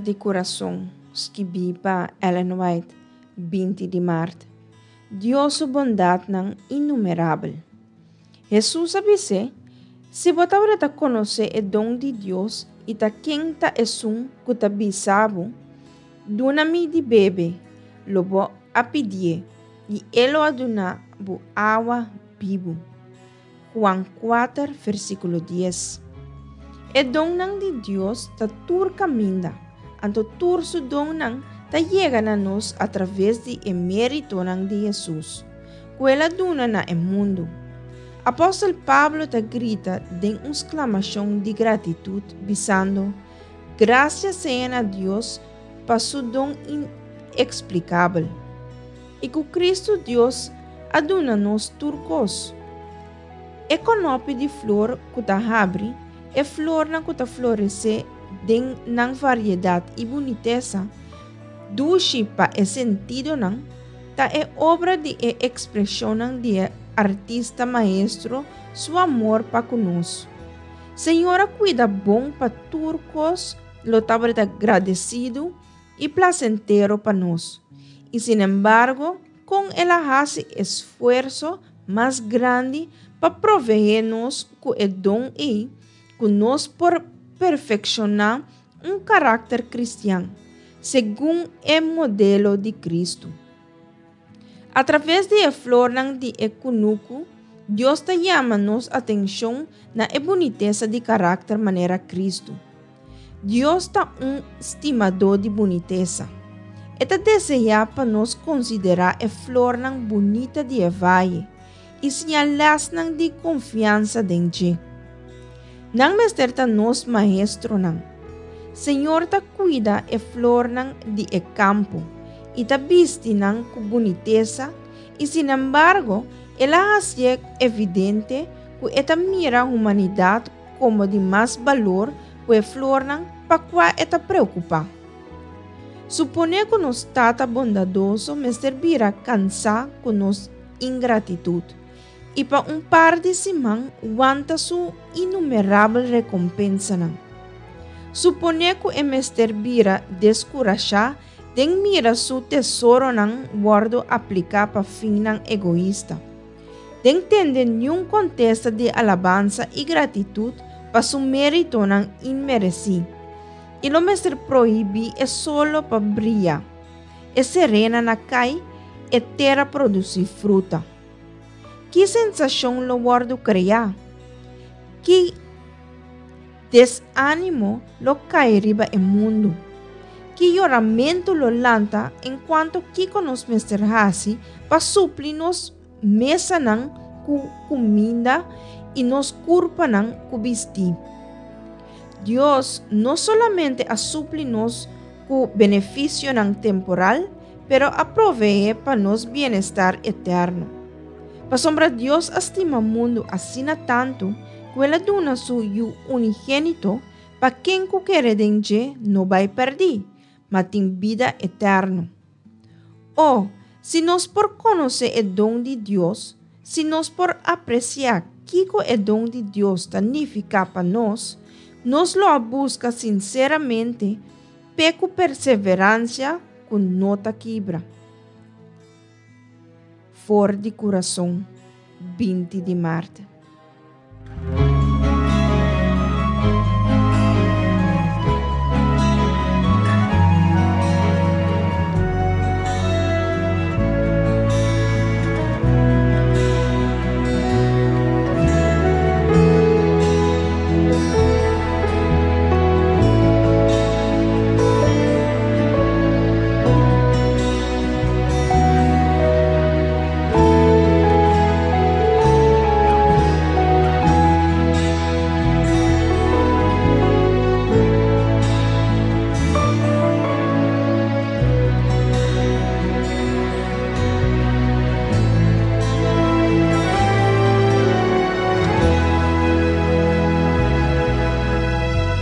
di Kurason, skibí pa Ellen White, 20 di mart. Dios su bondatnan innumerabel. Hesus a bis'é, Si bo tabata konosé e don di Dios i ta ken ta esun ku ta bisa bo, Duna mi di bebe, lo bo a pidié, i e lo a duna bo awa bibu. Juan 4, versíkulo 10. E donnan di Dios ta tur kaminda, anto tur su donnan ta yega na nos atraves di e méritonan di Hesus, ku el a duna na e mundu. Apòstel Pablo ta grita den un sklamashon di gratitut, bisando, Grasia sea na Dios pa su don ineksplikabel! I ku Kristu Dios a duna nos tur kos. E kònòpi di flor ku ta habri, e flornan ku ta floresé den nan variedat i bunitesa, dushi pa e sentidonan, ta e obra di e ekspreshonnan di e Artista Maestro su amor pa ku nos. Señor a kuida bon pa tur kos lo tabata gradesidu i plasentero pa nos. I sinembargo, kon el a hasi esfuerso mas grandi pa proveé nos ku e don ei ku nos por perfekshoná un karakter kristian, segun e modelo di Kristu. Atraves di e flornan di e kunuku, Dios ta yama nos atenshon na e bunitesa di karakter manera Kristu. Dios ta un stimadó di bunitesa. E ta deseá pa nos konsiderá e flornan bunita di e vaye i siña lèsnan di konfiansa den dje. Nan mester ta nos maestronan. Señor ta kuida e flornan di e kampo i ta bisti nan ku bunitesa i sinembargo el a hasié evidente ku e ta mira humanidat komo di mas balor ku e flornan pa kua e ta preokupá. Suponé ku nos Tata bondadoso mester bira kansá ku nos ingratitut i pa un par di siman wanta su inumerabel rekompensanan. Suponé ku e mester bira deskurashá den mira su tesoronan wòrdu apliká pa finnan egoista. Den tende niun kontesta di alabansa i gratitut pa su méritonan inmeresí, i lo mester prohibí e solo pa bria, e serena na kai, e tera produsí fruta. Ki sensashon lo wòrdu kreá? Ki desánimo lo kai riba e mundu? Ki yoramentu lo lanta enkuanto kiko nos mester hasi pa supli nos mesanan ku kuminda i nos kurpanan ku bistí? Dios no solamente a supli nos ku benefisionan temporal, pero a proveé pa nos bienestar eterno. Pasobra Dios a stima mundu asina tantu ku el a duna su Yu unigénito pa ken ku kere den dje no bai pèrdí, ma tin bida eterno. O, si nos por konosé e don di Dios, si nos por apresiá kiko e don di Dios ta nifiká pa nos, nos lo a buska sinseramente p'e ku perseveransia ku no ta kibra. For di kurason, 20 di mart.